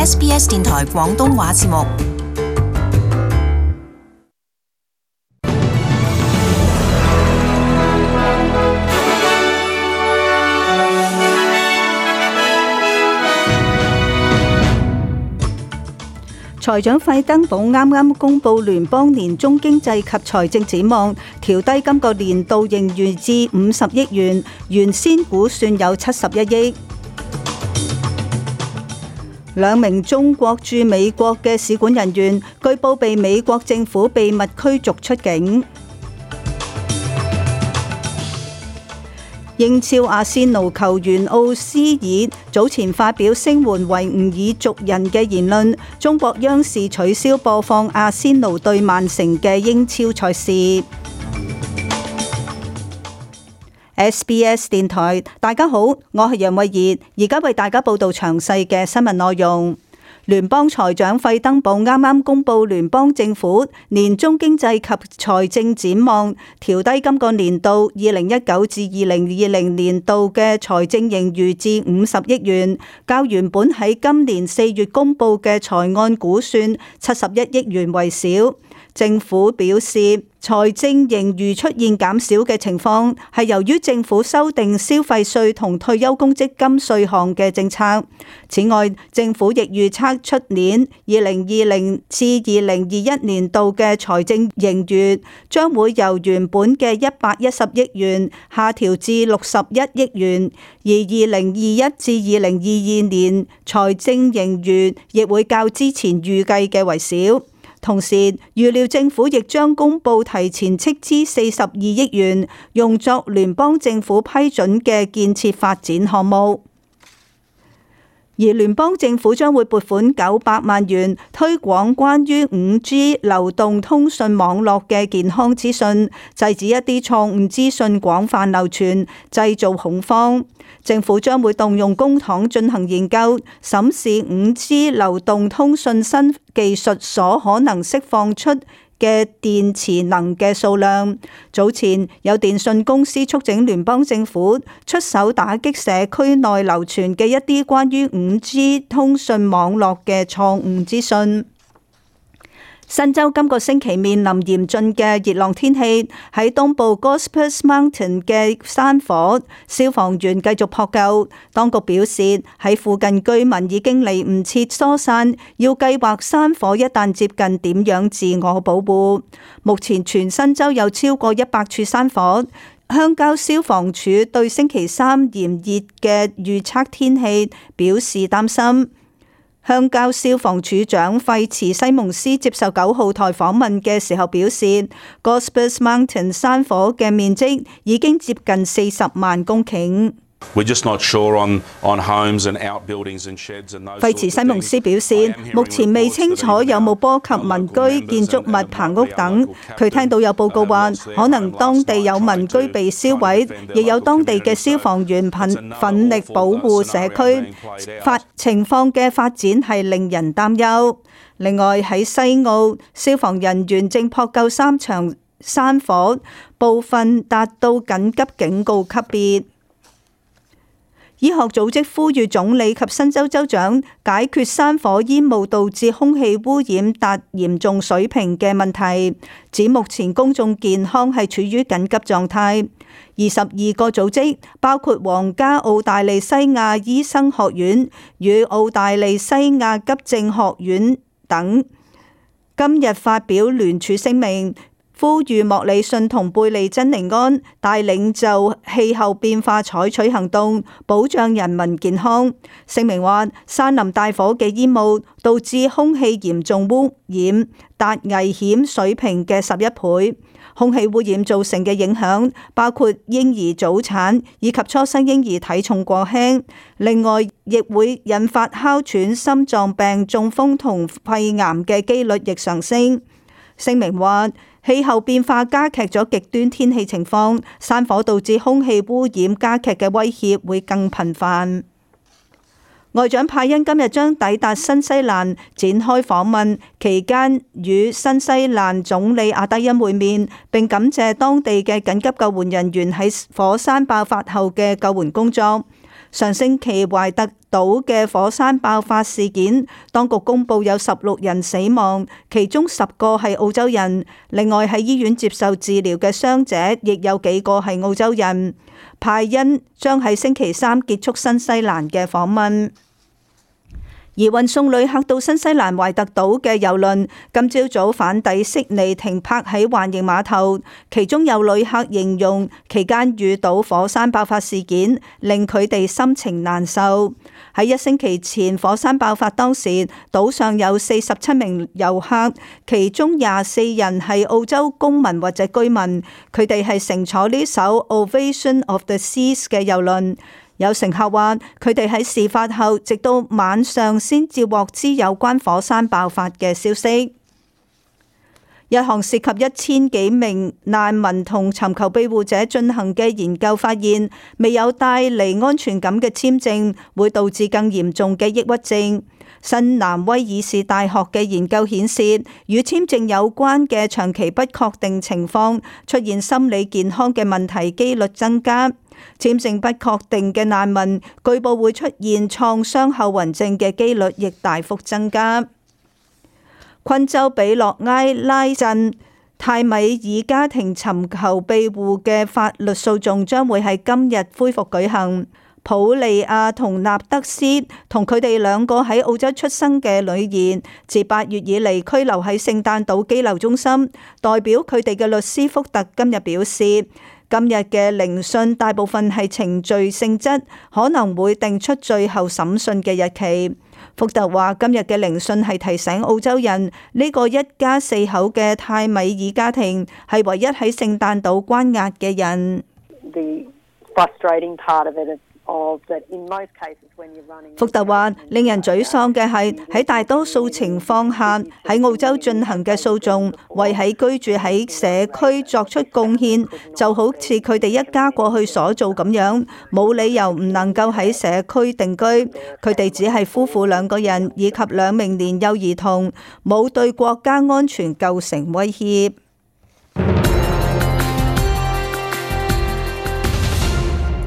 SBS 電台廣東話節目。財長費登堡啱啱公布聯邦年中經濟及財政展望，調低今個年度盈餘至50億元，原先估算有71億。兩名中國駐美國嘅使館人員據報被美國政府秘密驅逐出境。英超阿仙奴球員奧斯爾早前發表聲援維吾爾族人嘅言論，中國央視取消播放阿仙奴對曼城嘅英超賽事。SBS 電台，大家好，我係楊慧儀，而家為大家報道詳細嘅新聞內容。聯邦財長費登堡啱啱公布聯邦政府年中經濟及財政展望，調低今個年度2019至2020年度嘅財政盈餘至50億元，較原本喺今年4月公布嘅財案估算71億元為少。政府表示，財政盈餘出現減少嘅情況係由於政府修訂消費稅同退休公積金稅項嘅政策。此外，政府亦預測出年2020至2021年度嘅財政盈餘將會由原本嘅110億元下調至61億元，而2021至2022年財政盈餘亦會較之前預計嘅為少。同時，預料政府亦將公布提前斥資42億元，用作聯邦政府批准嘅建設發展項目。而聯邦政府將會撥款900萬元推廣關於 5G 流動通訊網絡嘅健康資訊，制止一啲錯誤資訊廣泛流傳，製造恐慌。政府將會動用公帑進行研究，審視 5G 流動通訊新技術所可能釋放出嘅電池能嘅數量。早前有電信公司促請聯邦政府出手打擊社區內流傳嘅一啲關於 5G 通訊網絡嘅錯誤資訊。新州今個星期面臨嚴峻嘅熱浪天氣，喺東部 Gospers Mountain 嘅山火，消防員繼續撲救。當局表示，喺附近居民已經嚟唔切疏散，要計劃山火一旦接近點樣自我保護。目前全新州有超過100處山火，鄉郊消防處對星期三炎熱嘅預測天氣表示擔心。鄉郊消防處長費茨西蒙斯接受9號台訪問嘅時候表示， Gospers Mountain 山火嘅面積已經接近40萬公頃。費茨西蒙斯表示，目前未清楚有冇波及民居、建築物、棚屋等。佢聽到有報告話，可能當地有民居被燒毀，亦有當地嘅消防員奮力保護社區。情況嘅發展係令人擔憂。另外喺西澳，消防人員正撲救3場山火，部分達到緊急警告級別。醫學組織呼籲總理及新州州長解決山火煙霧導致空氣污染達嚴重水平嘅問題，指目前公眾健康係處於緊急狀態。22個組織，包括皇家澳大利西亞醫生學院與澳大利西亞急症學院等，今日發表聯署聲明，呼籲莫里遜同貝利珍尼安帶領就氣候變化採取行動，保障人民健康。聲明話，山林大火嘅煙霧導致空氣嚴重污染，達危險水平嘅11倍。空氣污染造成嘅影響包括嬰兒早產以及初生嬰兒體重過輕，另外亦會引發哮喘、心臟病、中風同肺癌嘅機率亦上升。聲明話，氣候變化加劇咗極端天氣情況，山火導致空氣污染加劇嘅威脅會更頻繁。外長派恩今日將抵達新西蘭展開訪問，期間與新西蘭總理阿德恩會面，並感謝當地嘅緊急救援人員喺火山爆發後嘅救援工作。上星期懷特島嘅火山爆發事件，當局公布有16人死亡，其中10個係澳洲人。另外喺醫院接受治療嘅傷者，亦有幾個係澳洲人。派恩將喺星期三結束新西蘭嘅訪問。而運送旅客到新西蘭懷特島嘅郵輪今朝早返抵悉尼停泊喺環形碼頭，其中有旅客形容期間遇到火山爆發事件，令佢哋心情難受。喺1星期前火山爆發當時，島上有47名遊客，其中24人係澳洲公民或者居民，佢哋係乘坐呢艘 Ovation of the Seas 嘅郵輪。有乘客話，佢哋喺事發後，直到晚上先至獲知有關火山爆發嘅消息。一項涉及1000幾名難民同尋求庇護者進行嘅研究發現，未有帶嚟安全感嘅簽證會導致更嚴重嘅抑鬱症。新南威爾士大學嘅研究顯示，與簽證有關嘅長期不確定情況出現心理健康嘅問題機率增加。簽證不確定嘅難民據報會出現創傷後遺症嘅機率亦大幅增加。昆州比洛埃拉鎮泰米爾家庭尋求庇護嘅法律訴訟將會喺今日恢復舉行。普利亞同納德斯同佢哋2個喺澳洲出生嘅女兒，自8月以嚟拘留喺聖誕島羈留中心。代表佢哋嘅律師福特今日表示，今日嘅聆訊大部分係程序性質，可能會定出最後審訊嘅日期。福特話：今日嘅聆訊係提醒澳洲人，呢個一家4口嘅泰米爾家庭係唯一喺聖誕島關押嘅人。福特話：令人沮喪嘅係喺大多數情況下，喺澳洲進行嘅訴訟，為喺居住喺社區作出貢獻，就好似佢哋一家過去所做咁樣，冇理由唔能夠喺社區定居。佢哋只係夫婦2個人以及2名年幼兒童，冇對國家安全構成威脅。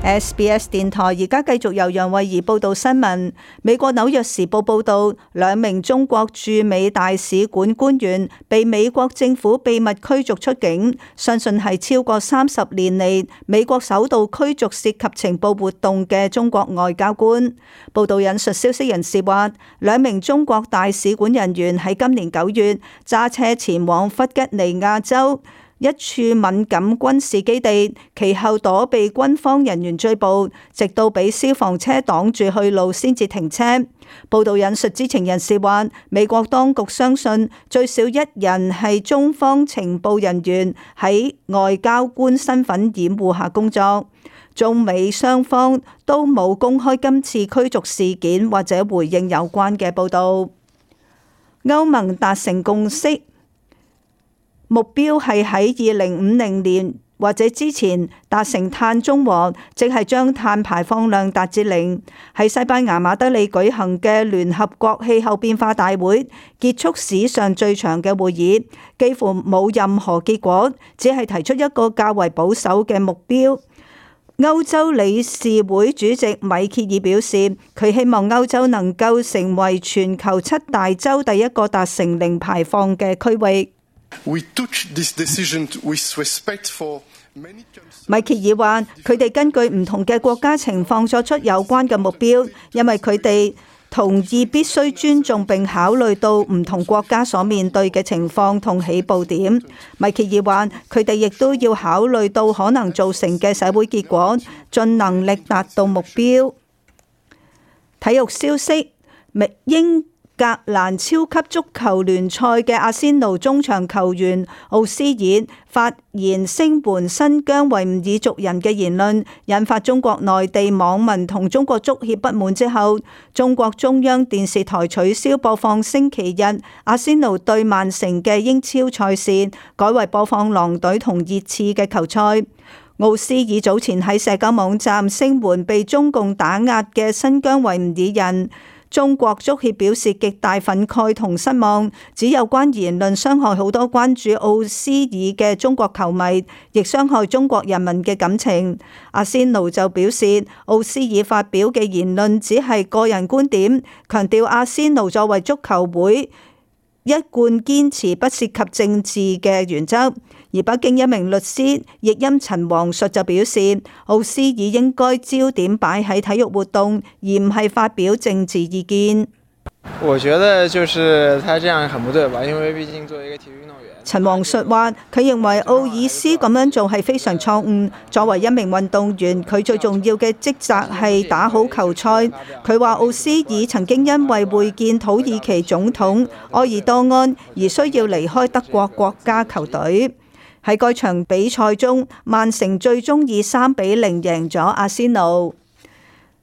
SBS 電台而家繼續由楊慧儀報道新聞。美國紐約時報報道，2名中國駐美大使館官員被美國政府秘密驅逐出境，相信係超過30年嚟美國首度驅逐涉及情報活動嘅中國外交官。報道引述消息人士話，2名中國大使館人員喺今年9月揸車前往弗吉尼亞州一處敏感軍事基地，其後躲避軍方人員追捕，直到俾消防車擋住去路先至停車。報道引述知情人士話，美國當局相信最少1人係中方情報人員喺外交官身份掩護下工作。中美雙方都冇公開今次驅逐事件或者回應有關嘅報道。歐盟達成共識，目標係喺2050年或者之前達成碳中和，即係將碳排放量達至0。喺西班牙馬德里舉行嘅聯合國氣候變化大會結束史上最長嘅會議，幾乎冇任何結果，只係提出一個較為保守嘅目標。歐洲理事會主席米歇爾表示，佢希望歐洲能夠成為全球7大洲第一個達成0排放嘅區域。米歇爾話：佢哋根據唔同嘅國家情況作出有關嘅目標，因為佢哋同意必須尊重並考慮到唔同國家所面對嘅情況同起步點。米歇爾話：佢哋亦都要考慮到可能造成嘅社會結果，盡能力達到目標。體育消息：英格蘭超級足球聯賽嘅阿仙奴中場球員奧斯爾發言聲援新疆維吾爾族人嘅言論，引發中國內地網民同中國足協不滿之後，中國中央電視台取消播放星期日阿仙奴對曼城嘅英超賽事，改為播放狼隊同熱刺嘅球賽。奧斯爾早前喺社交網站聲援被中共打壓嘅新疆維吾爾人。中國足協表示極大憤慨同失望，指有關言論傷害好多關注奧斯爾嘅中國球迷，亦傷害中國人民嘅感情。阿仙奴就表示，奧斯爾發表嘅言論只係個人觀點，強調阿仙奴作為足球會一貫堅持不涉及政治嘅原則。而北京一名律師譯音陳黃術就表示，奧斯爾應該焦點擺喺體育活動，而唔係發表政治意見。我覺得就是他這樣很不對吧，因為畢竟作為一個體育運動員。陳黃術話：佢認為奧爾斯咁樣做係非常錯誤。作為一名運動員，佢最重要嘅職責係打好球賽。佢話奧斯爾曾經因為會見土耳其總統埃爾多安而需要離開德國國家球隊。喺該場比賽中，曼城最終以3-0贏咗阿仙奴。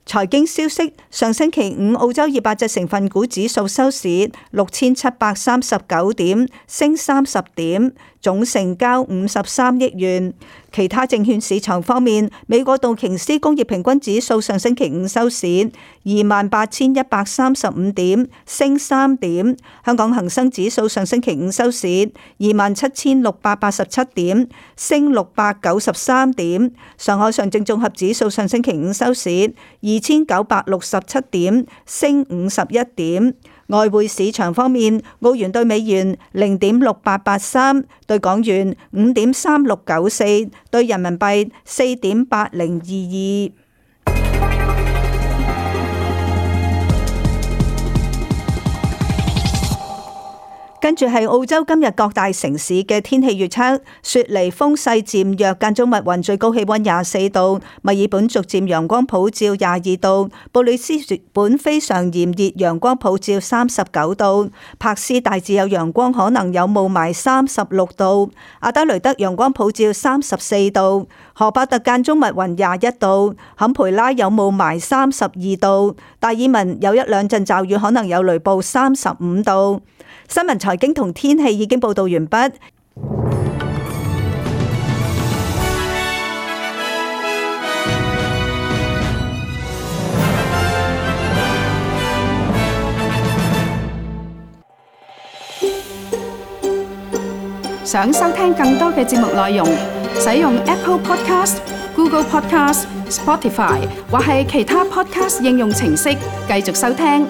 財經消息：上星期五，澳洲200隻成分股指數收市6739點，升30點，總成交53億元。其他證券市場方面，美國道瓊斯工業平均指數上星期五收市28,135點，升3點。香港恒生指數上星期五收市27,687點，升693點。上海上證綜合指數上星期五收市2,967點，升51點。外匯市場方面，澳元對美元0.6883，對港元5.3694，對人民幣4.8022。跟住係澳洲今日各大城市嘅天氣預測：雪梨風勢漸弱，間中密雲，最高氣溫24度；墨爾本逐漸陽光普照22度；布里斯本非常炎熱，陽光普照39度；柏斯大致有陽光，可能有霧霾36度；阿德雷德陽光普照34度；荷伯特間中密雲21度；坎培拉有霧霾32度；達爾文有一兩陣驟雨，可能有雷暴35度。新聞財經同天氣已經報道完畢。想收聽更多嘅節目內容，使用 Apple Podcast、Google Podcast、Spotify 或係其他 Podcast 應用程式繼續收聽。